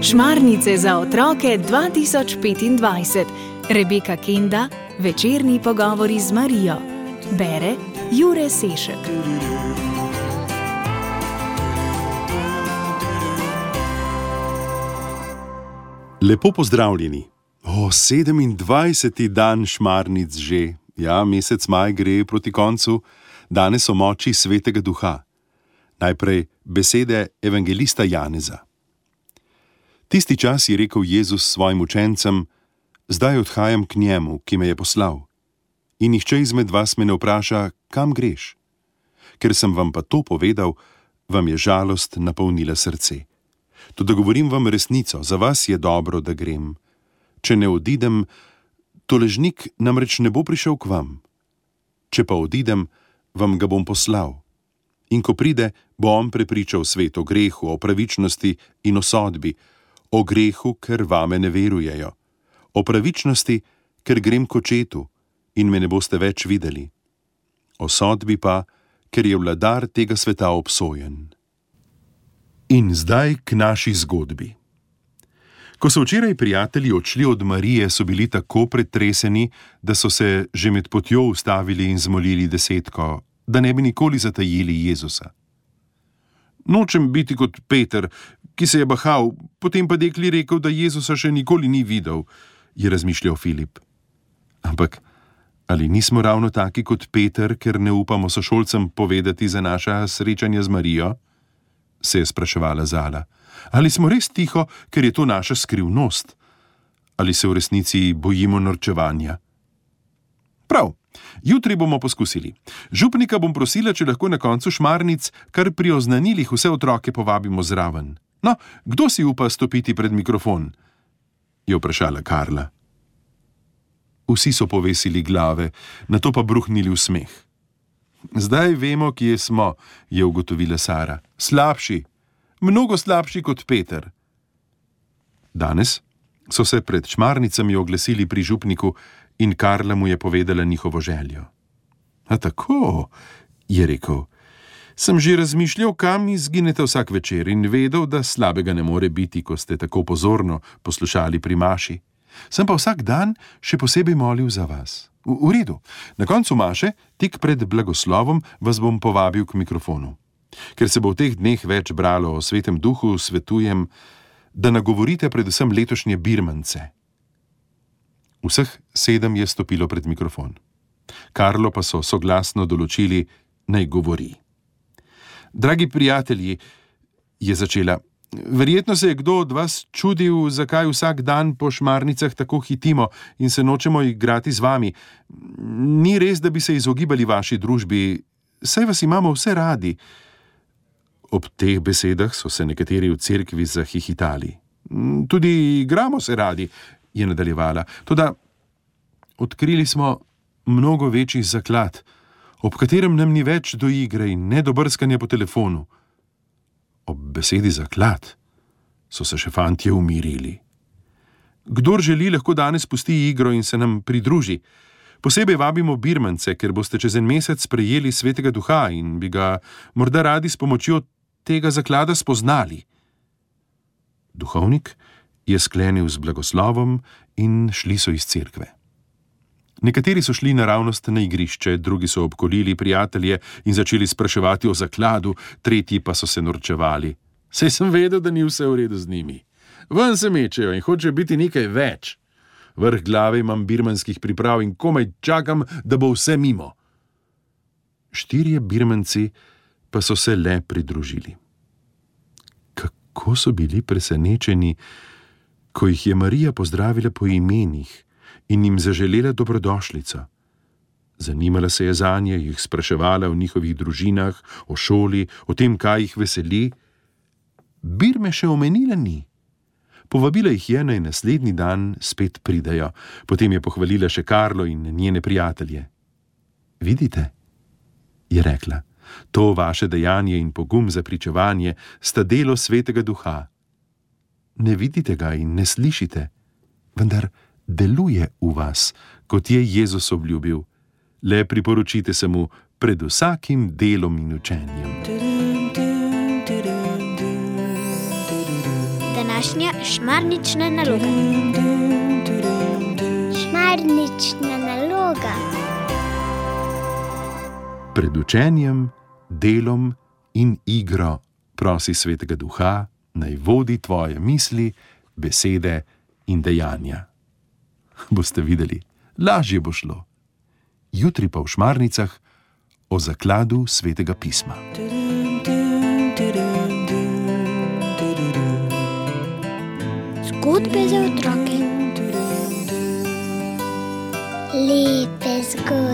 Šmarnice za otroke 2025. Rebeka Kenda, večerni pogovori z Marijo. Bere Jure Sešek. Lepo pozdravljeni. 27. dan šmarnic že. Ja, mesec maj gre proti koncu. Danes o moči Svetega Duha. Najprej besede evangelista Janeza. Tisti čas je rekel Jezus svojim učencem: zdaj odhajam k njemu, ki me je poslal. In nihče izmed vas me ne vpraša, kam greš. Ker sem vam pa to povedal, vam je žalost napolnila srce. Toda govorim vam resnico, za vas je dobro, da grem. Če ne odidem, tolažnik namreč ne bo prišel k vam. Če pa odidem, vam ga bom poslal. In ko pride, bo on prepričal svet o grehu, o pravičnosti in o sodbi. O grehu, ker vame ne verujejo. O pravičnosti, ker grem k očetu in me ne boste več videli. O sodbi pa, ker je vladar tega sveta obsojen. In zdaj k naši zgodbi. Ko so včeraj prijatelji odšli od Marije, so bili tako pretreseni, da so se že med potjo ustavili in zmolili desetko, da ne bi nikoli zatajili Jezusa. Nočem biti kot Peter, ki se je bahal, potem pa dekli rekel, da Jezusa še nikoli ni videl, je razmišljal Filip. Ampak ali nismo ravno taki kot Peter, ker ne upamo sošolcem povedati za naša srečanja z Marijo? Se je spraševala Zala. Ali smo res tiho, ker je to naša skrivnost? Ali se v resnici bojimo norčevanja? Prav, jutri bomo poskusili. Župnika bom prosila, če lahko na koncu šmarnic kar pri oznanilih vse otroke povabimo zraven. No, kdo si upa stopiti pred mikrofon? Je vprašala Karla. Vsi so povesili glave, nato pa bruhnili v smeh. Zdaj vemo, kje smo, je ugotovila Sara. Slabši, mnogo slabši kot Peter. Danes so se pred šmarnicami oglasili pri župniku in Karla mu je povedala njihovo željo. A tako, je rekel. Sem že razmišljal, kam izginete vsak večer in vedel, da slabega ne more biti, ko ste tako pozorno poslušali pri maši. Sem pa vsak dan še posebej molil za vas. V redu, na koncu maše, tik pred blagoslovom, vas bom povabil k mikrofonu. Ker se bo v teh dneh več bralo o Svetem Duhu, svetujem, da nagovorite predvsem letošnje birmance. Vseh 7 je stopilo pred mikrofon. Karlo pa so soglasno določili, naj govori. Dragi prijatelji, je začela, verjetno se je kdo od vas čudil, zakaj vsak dan po šmarnicah tako hitimo in se nočemo igrati z vami. Ni res, da bi se izogibali vaši družbi, saj vas imamo vse radi. Ob teh besedah so se nekateri v cerkvi zahihitali. Tudi igramo se radi, je nadaljevala. Toda odkrili smo mnogo večji zaklad, ob katerem nam ni več do igre in ne do brskanja po telefonu. Ob besedi zaklad so se še fantje umirili. Kdor želi, lahko danes pusti igro in se nam pridruži. Posebej vabimo birmance, ker boste čez en mesec prejeli Svetega Duha in bi ga morda radi s pomočjo tega zaklada spoznali. Duhovnik je sklenil z blagoslovom in šli so iz cerkve. Nekateri so šli naravnost na igrišče, drugi so obkolili prijatelje in začeli spraševati o zakladu, tretji pa so se norčevali. Saj sem vedel, da ni vse v redu z njimi. Ven se mečejo in hočejo biti nekaj več. Vrh glave imam birmanskih priprav in komaj čakam, da bo vse mimo. 4 birmanci pa so se le pridružili. Kako so bili presenečeni, ko jih je Marija pozdravila po imenih in jim zaželela dobrodošlico. Zanimala se je zanje, jih spraševala o njihovih družinah, o šoli, o tem, kaj jih veseli. Birme še omenila ni. Povabila jih je, naj naslednji dan spet pridejo. Potem je pohvalila še Karlo in njene prijatelje. Vidite, je rekla, to vaše dejanje in pogum za pričevanje sta delo Svetega Duha. Ne vidite ga in ne slišite, vendar deluje v vas, kot je Jezus obljubil. Le priporočite se mu, pred vsakim delom in učenjem. Današnja šmarnična naloga. Šmarnična naloga. Pred učenjem, delom in igro prosi Svetega Duha, naj vodi tvoje misli, besede in dejanja. Boste videli, lažje bo šlo. Jutri pa v Šmarnicah o zakladu Svetega pisma. Zgodbe za otroke. Lepe zgodbe.